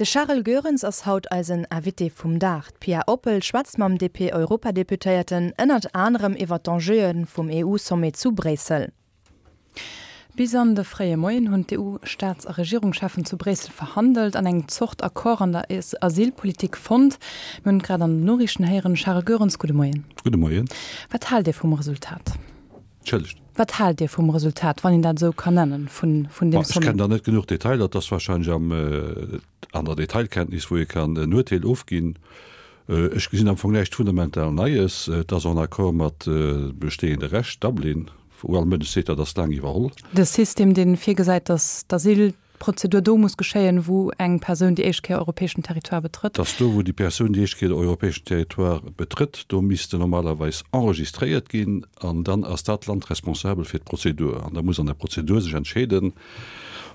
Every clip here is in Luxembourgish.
De Charel Goerens ass haut eisen Invité vum Dag. D'Pia Oppel schwätzt mam DP-Europadeputéierten ënnert anerem iwwer d'Enjeue vum EU-Sommet zu Bréissel. Bis an de fréie Moien hunn d'EU-Staats a Regierungscheffen zu Bréissel verhandelt an eng Zort Accord an der Asylpolitik fonnt. Mir hunn et grad an den Noriichten héieren. Charel Goerens, gudde Moien. Gudde Moien. Wat haalt Dir vum Resultat? Entschëllegt? Wat haalt Dir vum Resultat, wann een dat esou kann nennen, vun vun deem Ech kennen Sommet? der net genuch Detailer. Et ass wahrscheinlech am, an der Detailkenntnis, wou ee kann en Urteel ofginn. Ech gesinn am Fong näischt fundamental Neies. Et ass en accord mat bestehende Recht, Dublin, wou all Mënsch seet, dat ass laang iwwerholl. De System, dee virgesäit, datt d'Asyl D'Prozedur do muss geschéien, wou eng Persoun déi éischt Kéier europäeschen Territoire betrëtt. Dass do, wou déi Persoun déi éischt Kéier de europäeschen Territoire betrëtt, do misst se normalerweis enregistréiert ginn an dann ass dat Land responsabel fir d'Prozedur. An da muss an der Prozedur sech entscheeden,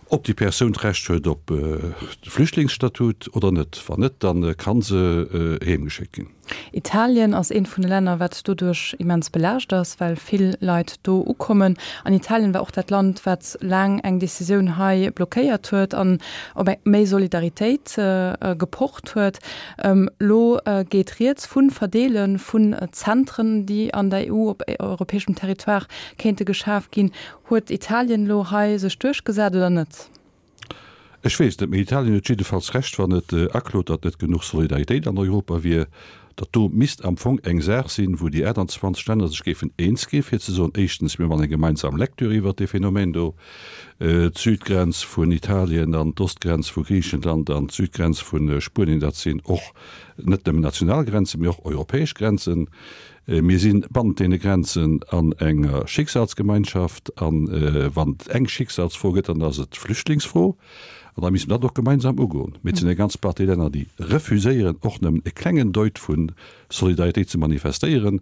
ob déi Persoun d'Recht huet op de Flüchtlingsstatut oder net. Wann net, da ka se heemgeschéckt ginn. Italien ass eent vun de Länner, wat doduerch immens belaascht ass, well vill Leit do ukommen. An Italien war och dat Land, wat laang eng Decisioun hei blockéiert huet an op eng méi Solidaritéit gepocht huet. Elo geet rieds vu Verdeele vun Zentren, déi an der EU op europäeschem Territoire kéinte geschaf ginn. Huet Italien elo hei sech duerchgesat oder net? Ech weess net, mee Italien huet jiddefalls Recht, wann et aklot, datt net genuch Solidaritéit an Europa wier. Dat do misst am Fong eng Saach sinn, wou déi 28 Länner sech géifen eens gi fir ze soen, éischtens, mir man eng gemeinsam Lecture iwwert dee Phänomen do, d'Südgrenz vun Italien an d'Ostgrenz vu Griichenland an d'Südgrenz vu Spuenien, dat sinn och net nëmmen national Grenzen, mee och europäesch Grenzen. Mir si bannent deene Grenzen an enger Schicksalsgemeinschaft. A wann et eng Schicksalsfro gëtt, dann ass et d'Flüchtlingsfro. An da misste mer dat och gemeinsam ugoen. Mee et sinn eng ganz Partie Länner, déi refuséieren, och nëmmen e klengen Deut vu Solidaritéit ze manifestéieren,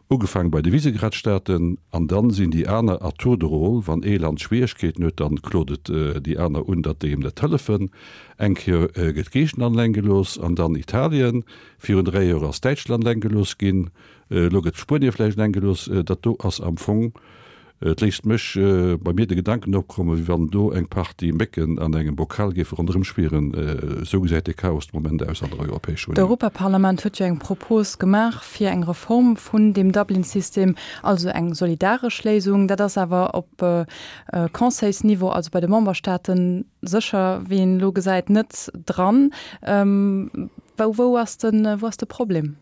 ugefaange bei de Visegrad-Staaten. An dann sinn déi aner à tour de rôle, wann ee Land Schwieregkeeten huet, dann klot et déi aner un, datt déi em net hëllefen. Eng Kéier gëtt Griichenland eleng gelooss an dann Italien. Virun 3 Joer ass Däitschland eleng gelooss ginn, elo gëtt Spuenie vläicht eleng gelooss. Dat do ass am Fong, et léisst mech bei mir de Gedanken opkommen, wéi wann do eng Partie Mécken an engem Bokal géife ronderëm schwieren. Esou gesäit de Chaos de Moment aus an der Europäescher Unioun. D'Europaparlament huet jo eng Propos gemaach fir eng Reform vun deem Dublin-System, also eng solidaresch Léisung. Dat ass awer op Conseilsniveau, also bei de Memberstaaten, sécher, wéi een elo gesäit, net dran. Wou, wou ass de, wou ass de Problem?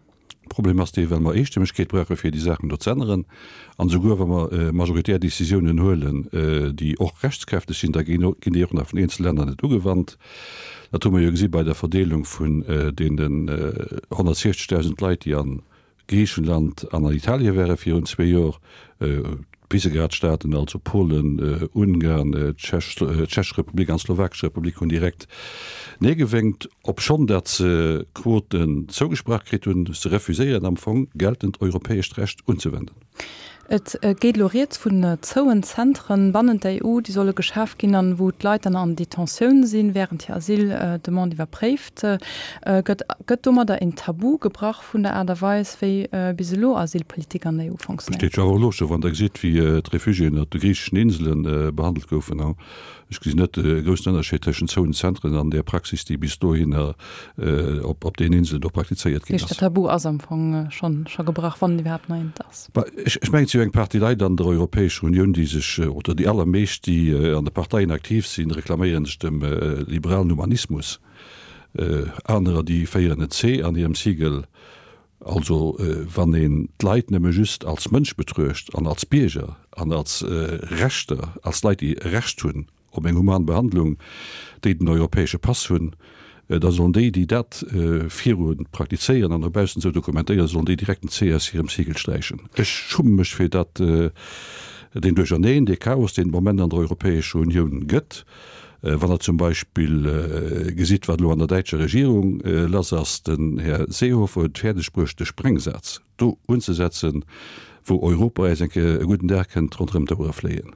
De Problem ass dee, well mer Eestëmmegkeet brauche fir déi Saachen do ze änneren. An esouguer wa mer majoritär Décisiounen huelen, déi och rechtskräfteg sinn, da ginn déi och nach vun eenzele Länner net ugewannt. Dat hu mer jo gesi bei der Verdeelung vun deenen 160.000 Leit, déi an Griichenland an an Italie ware virun zwee Joer. D'Visegrad-Staaten, also Polen, Ungarn, d'Tschechesch Republik an d'Slowakesch Republik hunn direkt Nee gewénkt, obschonn datt se Quoten zougesprach kritt hunn. Se refuséieren am Fong, geltend europäescht Recht unzewenden. Et geet elo rieds vun zouen Zentren bannent der EU, déi solle geschaf ginn an wou d'Leit dann an Detentioun sinn, wärend hir Asyldemande iwwerpréift gëtt. Gëtt domadder een Tabu gebrach vun der Aart a Weis, wéi bis elo Asylpolitik an der EU fonctionnéiert? Besteet jo awer och elo scho, wann Der gesitt, wéi d'Refugiéen op de griicheschen Insele behandelt goufen. Ech gesinn net e groussen Ënnerscheed tëschent zouen Zentren an där Praxis, déi bis dohinner op deenen Inselen do praktizéiert ginn ass. Dat Tabu ass am Fong scho gebrach, wann et iwwerhaapt nach eent ass. Ech mengen, et si jo eng Partie Leit an der Europäescher Unioun, déi sech, oder déi allermeescht, déi an de Parteien aktiv sinn, reklaméiere sech dem liberalen Humanismus. Anerer, déi féieren en C an hirem Siegel. Also wann een d'Leit nëmme just als Mënsch betruecht an als Bierger an als Rechter, als Leit, déi e Recht hunn op eng human Behandlung, déi den europäesche Pass hunn, da sollen déi, déi dat viru praktizéieren an no baussen esou dokumentéieren, sollen déi direkt en C aus hirem Siegel sträichen. Ech schumme mech fir dat, deen Duercherneen, dee Chaos, deen de Moment an der Europäescher Unioun gëtt. Wann Der zum Beispill gesitt, wat elo an der däitscher Regierung lass ass, den Här Seehofer huet et fäerdeg bruecht, de Sprengsaz do unzesetzen, wou Europa äis eng Kéier e gudden Dag kënnt ronderëm d'Ouere fléien.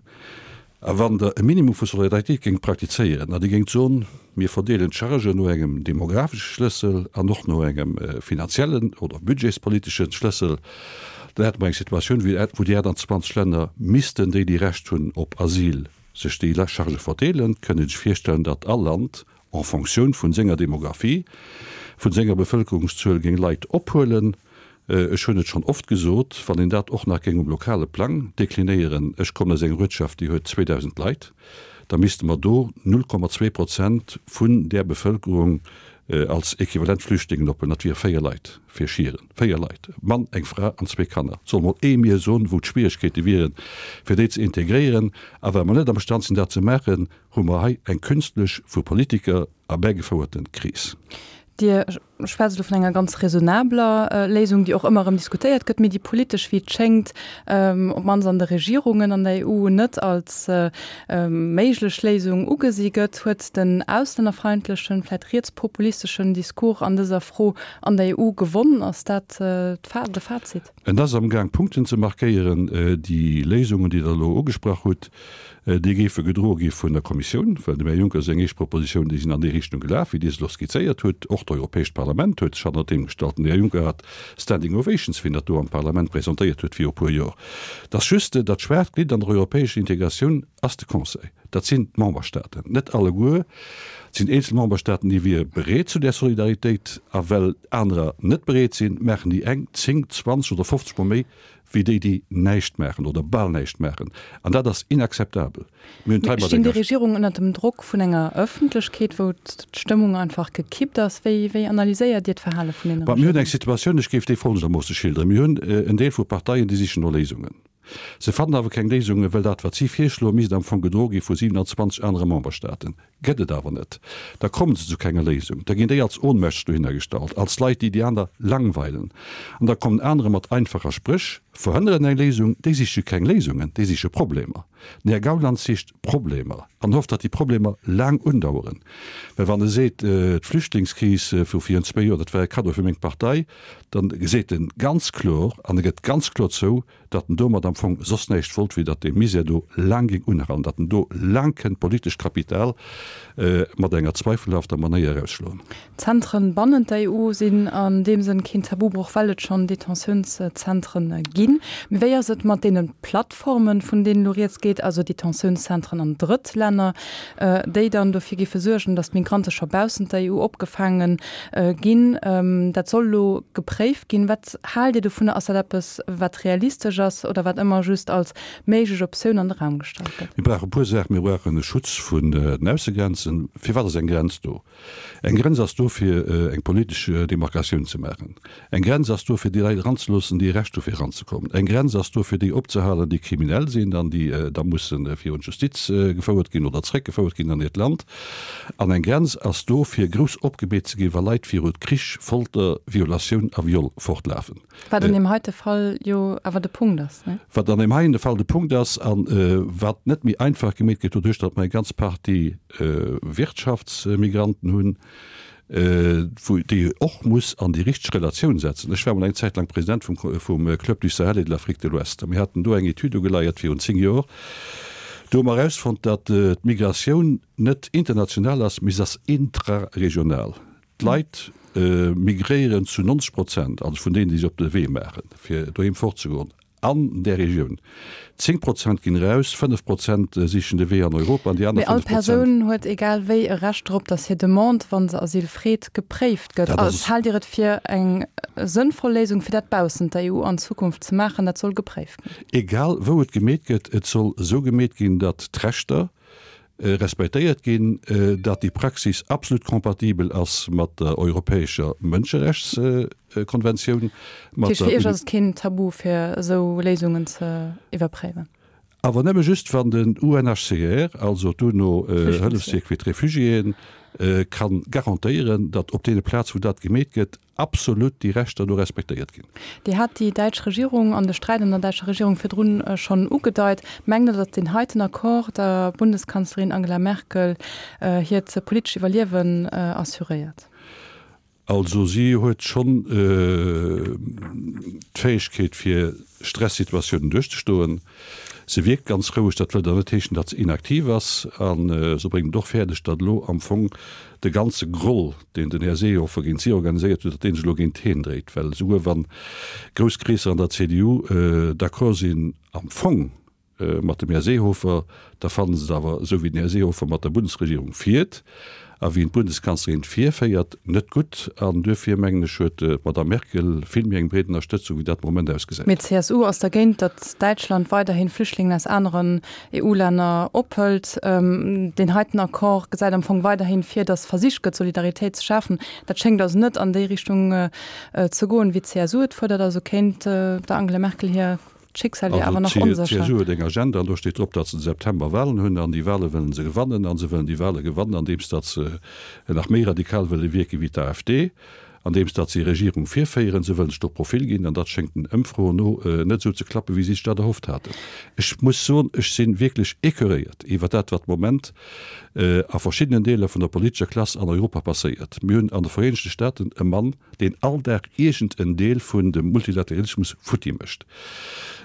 A wann Der e Minimum vu Solidaritéit géingt praktizéieren an Dir géingt soen, mir verdeelen d'Chargen no engem demographesche Schlëssel an och no engem finanziellen oder budgetspolitesche Schlëssel, dann hätte mer eng Situatioun, wou déi 28 Länner missten, déi, déi Recht hunn op Asyl, sech déi Chargë verdeelen, kënnt ee sech virstellen, datt all Land. en Fonctioun vun senger Demographie, vun senger Bevëlkerungszuel géing Leit ophuelen. Ech hunn et schonn oft gesot, wann een dat och nach géing um lokale Plang deklinéieren, ech kommen aus enger Uertschaft, déi huet 2.000 Leit, da misste mer do 0,2 Prozent vun där Bevëlkerung als equivalent Flüchtlingen ophuelen. Dat wiere 4 Leit fir Schieren. 4 Leit, e Mann, eng Fra an zwee Kanner. Soll mol ee mir soen, wou d'Schwieregkeete wieren, fir déi ze integréieren. A well mer net amstand sinn, dat ze maachen, hu mer hei eng künstlech vu Politiker erbäigefouerte Kris. Dir schwätzt elo vun enger ganz raisonnabeler Léisung, déi och ëmmer erëm diskutéiert gëtt, mee déi politesch, wéi et schéngt, op d'mannst an de Regierungen an der EU, net als méiglech Léisung ugesi gëtt. Huet den auslännerfeindlechen, vläicht rietspopulisteschen Discours an dëser Fro an der EU gewonn? Ass dat de Fazit? En ass amgaang Punkten ze markéieren. Déi Léisungen, déi Der elo ugesprach hutt, déi géife gedroe gi vun der Kommissioun, well dem Här Juncker seng éischt Propositionen, déi sinn an déi Richtung gelaf, wéi Dir se elo skizzéiert hutt. Och d'Europäescht Parlament huet sech hannert deem gestallt. Den Här Juncker hat Standing Ovations, wéi en dat do am Parlament presentéiert huet viru e puer Joer. Et ass just, dat schwaacht Glidd an der europäescher Integratioun ass de Conseil. Dat sinn d'Memberstaaten. Net alleguer. Et sinn eenzel Memberstaaten, déi wiere bereet zu där Solidaritéit. A well anerer net bereet sinn, maachen déi eng 10, 20 oder 50 Mol méi wéi déi, déi näischt maachen oder bal näischt maachen. An dat ass inakzeptabel. Mir hunn d'hei mat Stinn déi enger. Regierungen ënnert dem Drock vun enger Ëffentlechkeet, wou d'Stëmmung einfach gekippt ass? Wéi, wéi analyséiert Dir d'Verhale vun deene Bon, mir hunn eng Regierungen? Situatioun, ech géif déi folgendermoosse schilderen, Mir hunn en Deel vu Parteien, déi sichen no Léisungen. Se fannen awer keng Léisungen, well dat, wat si virschloen, misst am Fong gedroe gi vu 27 anere Memberstaaten. Gëtt et awer net. Da kommen se zu kenger Léisung. Da ginn déi als ohnmächteg dohinner gestallt, als Leit, déi déi aner langweilen. An da kommen anerer mat einfacher Spréch, verhënneren eng Léisung. Déi siche keng Léisungen, déi siche Problemer. Den Här Gauland sicht Problemer an hofft, datt déi Problemer laang undaueren. Well wann e seet, d'Flüchtlingskris vu virun zwéi Joer, dat war e Kaddo fir meng Partei, dann seet en ganz kloer an e gëtt ganz kloer zou, datt en domat am Fong soss näischt wollt, wéi datt dee Misär do laang géing unhalen, datt en do laang kënnt politescht Kapital mat enger zweifelhafter Manéier erausschloen. D'Zentren bannent der EU sinn an deem Sënn keen Tabubroch, well et schonn Detentiounszentren ginn. Mee wéi ass et mat deene Plattformen, vun deenen elo rieds geet, also Detentiounszentren an Drëttlänner, déi dann dofir géife suergen, datt d'Migrante scho baussent der EU opgefaange ginn? Dat soll elo gepréift ginn. Wat haalt Dir dovunner? Ass dat eppes, wat realistesch ass oder wat ëmmer just als méiglech Optioun an de Raum gestallt gëtt? Mir brauche e puer Saachen. Mir brauchen e Schutz vun den Aussegrenzen. Firwat ass eng Grenz do? Eng Grenz ass do, fir eng politesch Demarkatioun ze maachen. Eng Grenz ass do, fir déi Leit eranzeloossen, déi e Recht hu fir eranzekommen. Eng Grenz ass do, fir déi opzehalen, déi kriminell sinn an déi da musse virun d'Justiz gefouert ginn oder zréckgefouert ginn an hiert Land. An eng Grenz ass do, fir grouss opgemeet ze ginn, wa Leit viru Krich, Folter, Violatioun a Viol fortlafen. Wat an deem heite Fall jo awer de Punkt ass, ne? Wat an deem heien Fall de Punkt ass a wat net méi einfach gemeet gëtt doduerch, datt mer eng ganz Partie Wirtschaftsmigranten hunn, wou déi och muss an déi richteg Relatioun setzen. Ech war mol eng Zäit laang President vum vum Club du Sahel et de l'Afrique de l'Ouest a mir haten do eng Etüd ugeleiert virun 10 Joer. Do hu mer erausfonnt, datt d'Migratioun net international ass, mee se ass intraregional. D'Leit migréieren zu 90 Prozent, also vun deenen, déi sech op de Wee maachen, fir doheem fortzegoen, an där Regioun. 10 Prozent ginn eraus, 5 Prozent sichen de Wee an Europa an déi aner 5 Prozent. Mee all Persoun huet egal wéi e Recht drop, datt hir Demande, wa se Asyl freet, gepréift gëtt. Haalt Dir et fir eng sënnvoll Léisung, fir dat baussent der EU an Zukunft ze maachen? Dat soll gepréift ginn. Egal wou et gemeet gëtt, et soll esou gemeet ginn, datt d'Rechter respektéiert ginn, datt déi Praxis absolut compatibel ass mat der europäescher Mënscherechtskonventioun, mat der. Fir Iech ass et keen Tabu fir esou Léisungen ze iwwerpréiwen? Awer nëmme just wann den UNHCR, also d'UNO-Hëllefswierk fir d'Refugiéen, ka garantéieren, datt op deene Plaze wou dat gemeet gëtt, absolut déi Rechter do respektéiert ginn. Dir hat déi däitsch Regierung an de Sträit an der däitscher Regierung virdrun schonn ugedeit. Mengt Der, datt deen heiten Accord der Bundeskanzlerin Angela Merkel hiert politescht Iwwerliewen assuréiert? Also si huet schonn d'Fäegkeet fir Stressituatiounen duerchzestoen. Se wierkt ganz roueg, dat wëllt awer net heeschen, datt se inaktiv ass. A se bréngt et och fäerdeg, datt elo am Fong de ganze Groll, deen den Här Seehofer géint si organiséiert huet, datt dee sech elo géint heen dréit. Well esouguer wa grouss Kreesser an der CDU d'accord sinn, am Fong. mat dem Här Seehofer, da fannen se et awer, esou wéi den Här Seehofer mat der Bundesregierung fiert a wéi en d'Bundeskanzlerin virféiert, net gutt. An duerfir, mengen ech, huet d'Madame Merkel vill méi eng breet Ënnerstëtzung, wéi dat de Moment ausgesäit. Mee d'CSU ass dergéint, datt Däitschland weiderhin Flüchtlingen aus aneren EU-Länner ophëlt. Deen heiten Accord gesäit am Fong weiderhin vir, datt versicht gëtt, Solidaritéit ze schafen. Dat schéngt also net an déi Richtung ze goen, wéi d'CSU et fuerdert. Also kéint der Angela Merkel hir D'Schicksal wier awer nach onsécher. Also d'CSU huet eng Agenda an do steet drop, datt se de September Walen hunn an déi Wale wëllen se gewannen a se wëllen déi Wale gewannen andeems datt se nach méi radikal wëlle wierke wéi d'AfD, andeems datt se Regierung virféieren. Se wëllen sech do Profil ginn an dat schéngt den Ëmfroen no net esou ze klappen, wéi si sech dat erhofft haten. Ech muss soen, ech si wierklech écœuréiert iwwer dat, wat de Moment a verschiddenen Deeler vun der politescher Klass an Europa passéiert. Mir hunn an de Vereenegte Staaten e Mann, deen all Dag iergend en Deel vun dem Multilateralismus futti mécht.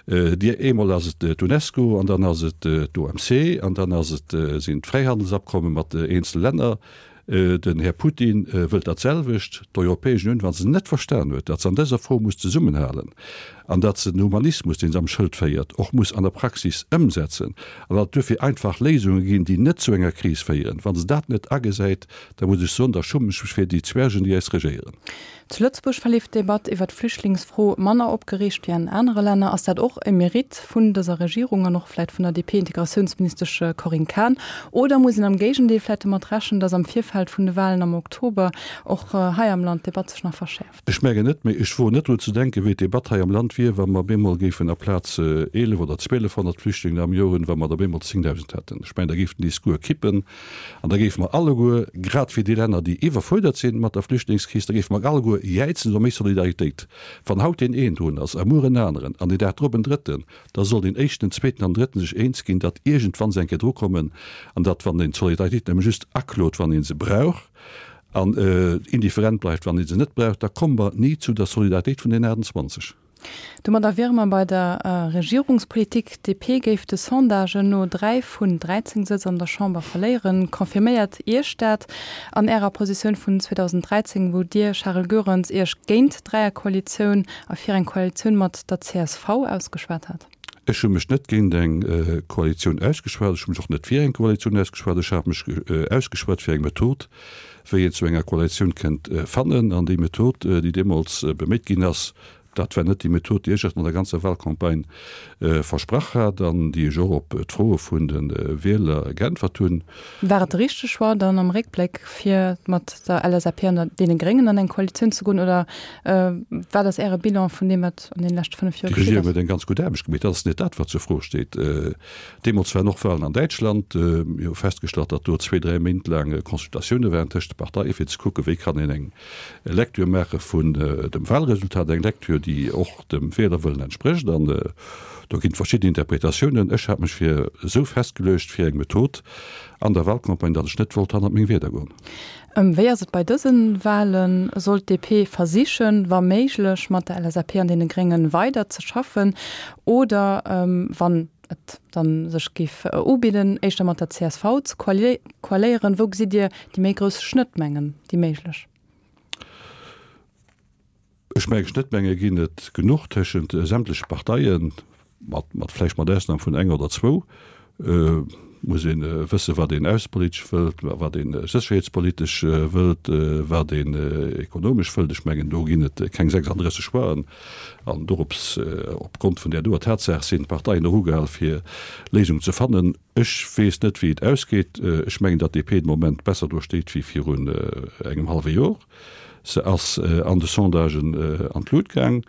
Dir, eemol ass et d'UNESCO an dann ass et d'OMC an dann ass et, sinn d'Fräihandelsabkomme mat eenzele Länner. Den Här Putin wëllt dat selwecht. D'Europäesch Unioun, wa se net verstan huet, datt se an dëser Fro muss zesummenhalen an datt se den Humanismus, dee se am Schëld féiert, och muss an der Praxis ëmsetzen an datt et duerfir einfach Léisunge ginn, déi net zu enger Kris féieren, wa se dat net agesäit, Da muss ech soen, da schummen ech mech fir déi Zwergen, déi eis regéieren. Zu Lëtzebuerg verleeft d'Debatt iwwer d'Flüchtlingsfro manner opgereegt wéi an anere Länner. Ass dat och e Meritt vun dëser Regierung an och vläit vun der DP-Integratiounsministesch Corinne Cahen? Oder muss een am Géigendeel vläit domat rechnen, datt am Virfeld vun de Walen am Oktober och hei am Land d'Debatt sech nach verschäerft? Ech mengen net, mee ech woen net drun ze denken, wéi d'Debatt hei am Land wier, wa mer op eemol géifen aplaz 11 oder 1.200 Flüchtlingen am Joer hunn, wa mer der op eemol 10.000 hätten. Ech mengen, da géif den Discours kippen an da géife mer alleguer, grad wéi déi Länner, déi iwwerfuerdert sinn mat der Flüchtlingskris, da géife mer alleguer jäizen no méi Solidaritéit. Wann haut deen een drun ass a muer en aneren an deen Dag drop en Drëtten, da soll deen éischten, den zweeten an den Drëtten sech eens ginn, datt iergendwann se eng Kéier drukommen an datt, wann een d'Solidaritéit nëmme just aklot, wann ee se brauch, an indifferent bleift, wann ee se net brauch, da komme mer ni zu der Solidaritéit vun den 28. Domadder wiere mer bei der Regierungspolitik. D'DP géif de Sondagen no 3 vun 13 Sëtz an der Chamber verléieren. Confirméiert Iech dat an Ärer Positioun vun 2013, wou Dir, Charel Goerens, Iech géint d'Dräierkoalitioun a fir eng Koalitioun mat der csv ausgeschwat hat? Ech hu mech net géint eng Koalitioun ausgeschwat, ech hu mech och net fir eng Koalitioun ausgeschwat. Ech hat mech ausgeschwat fir eng Method, wéi een zu enger Koalitioun kënnt fannen. An déi Method, déi deemools beméit ginn ass, dat war net déi Method, déi ech an der ganzer Wahlcampagne versprach hat an déi ech och op d'Froe vun de Wieler geäntwert hunn. War et de richtege Choix dann am Réckbléck, fir mat der LSAP an deene Gréngen an eng Koalitioun ze goen, oder Wat ass Äre Bilan vun deem, wat an deene leschte 5 Joer geschitt ass? Déi Regierung huet eng ganz gutt Aarbecht gemeet. Dat ass net dat, wat zur Fro steet. Deemools waren och Wahlen an Däitschland. Mir hu festgestallt, datt do zwee, dräi Méint laang Consultatioune waren tëscht de Parteien, fir ze kucken, wéi kann een eng Lecture maache vun dem Wahlresultat, eng Lecture, déi och dem Wielerwëllen entsprécht. An do ginn et verschidden Interpretatiounen. Ech hat mech fir esou festgeluecht fir eng Method an der Wahlcampagne, datt ech net wollt hannert meng Wierder goen. Wéi ass et bei dësen Wahlen? Soll d'DP versichen, wa méiglech, mat der LSAP an deene Gréngen weider ze schaffen oder, wann et dann sech géif ubidden, éischter mat der csv ze koaléieren? Wou gesitt Dir déi méi grouss Schnëttmengen, déi méiglech? Ech mengen, Schnëttmenge ginn et genuch tëschent sämtleche Parteien, mat, mat vläicht mat Ausnam vun enger oder zwou. Muss ee wëssen, wat een aussepolitesch wëllt, wat ee sécherheetspolitesch wëllt, wat een ekonomesch wëllt. Ech mengen, do ginn et keng 36 Choixen. An dorops, opgrond vun där doer Tatsaach, sinn d'Parteien och ugehal, fir Léisungen ze fannen. Ech weess net, wéi et ausgeet. Ech mengen, datt d'DP de Moment besser do steet wéi virun engem hallwe Jor. Se ass an de Sondagen an d'Lut gaang.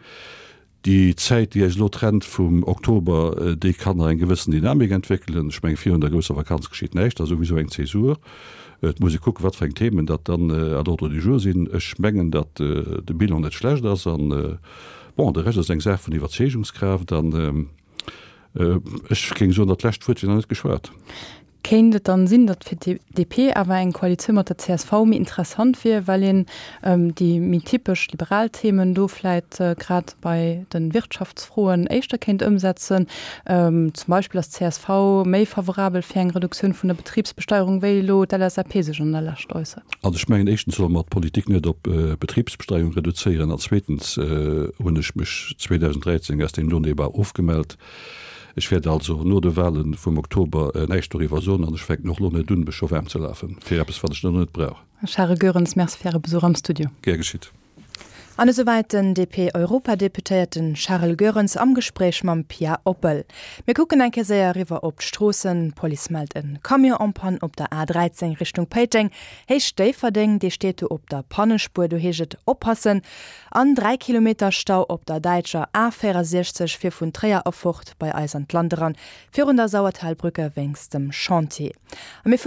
Déi Zäit, déi eis elo trennt vum Oktober, déi kann nach eng gewëssen Dynamik entwéckelen. Ech mengen, virun der grousser Vakanz geschitt näischt, dat ass souwisou eng Zäsur. Et muss ee kucken, wat fir eng Themen datt dann à l'ordre du jour sinn. Ech mengen, datt de Bilan net schlecht ass an, bon, de Rescht ass eng Saach vun Iwwerzeegungskraaft an ech géing soen, dat lescht Wuert wier nach net geschwat. Kéint et dann sinn, datt fir d'DP awer eng Koalitioun mat der csv méi interessant wier, well een déi méi typesch liberal Themen do vläit grad bei de Wirtschaftsfroen éischter kéint ëmsetzen? Zum Beispill ass d'CSV méi favorabel fir eng Reduktioun vun der Betribsbesteierung, wéi elo d'LSAP sech an der Lescht äussert. Also ech mengen, éischtens solle mer d'Politik net op Betribsbesteierung reduzéieren an zweetens hunn ech mech 2013 aus deem Non-Débat ofgemellt. Ech wäert also no de Wahle vum Oktober näischt doriwwer soen an ech fänken och elo net un, mech scho waarm ze lafen fir eppes, wat ech nach net brauch. Charel Goerens, Merci fir Äre Besuch am Studio. Gär geschitt. An esouwäit den DP-Europadeputéierten Charel Goerens am Gespréich mam Pia Oppel. Mir kucken eng Kéier séier eriwwer op d'Stroossen. D'Police mellt en Camion en panne op der A13 Richtung Péiteng, Héicht Déifferdeng. Dee steet do op der Pannespuer, do heescht et oppassen. An 3 Kilometer Stau op der däitscher A64 fir vun Tréier erfort bei eis an d'Land eran, virun der Sauertalbrücke wéinst dem Chantier. A mir fueren.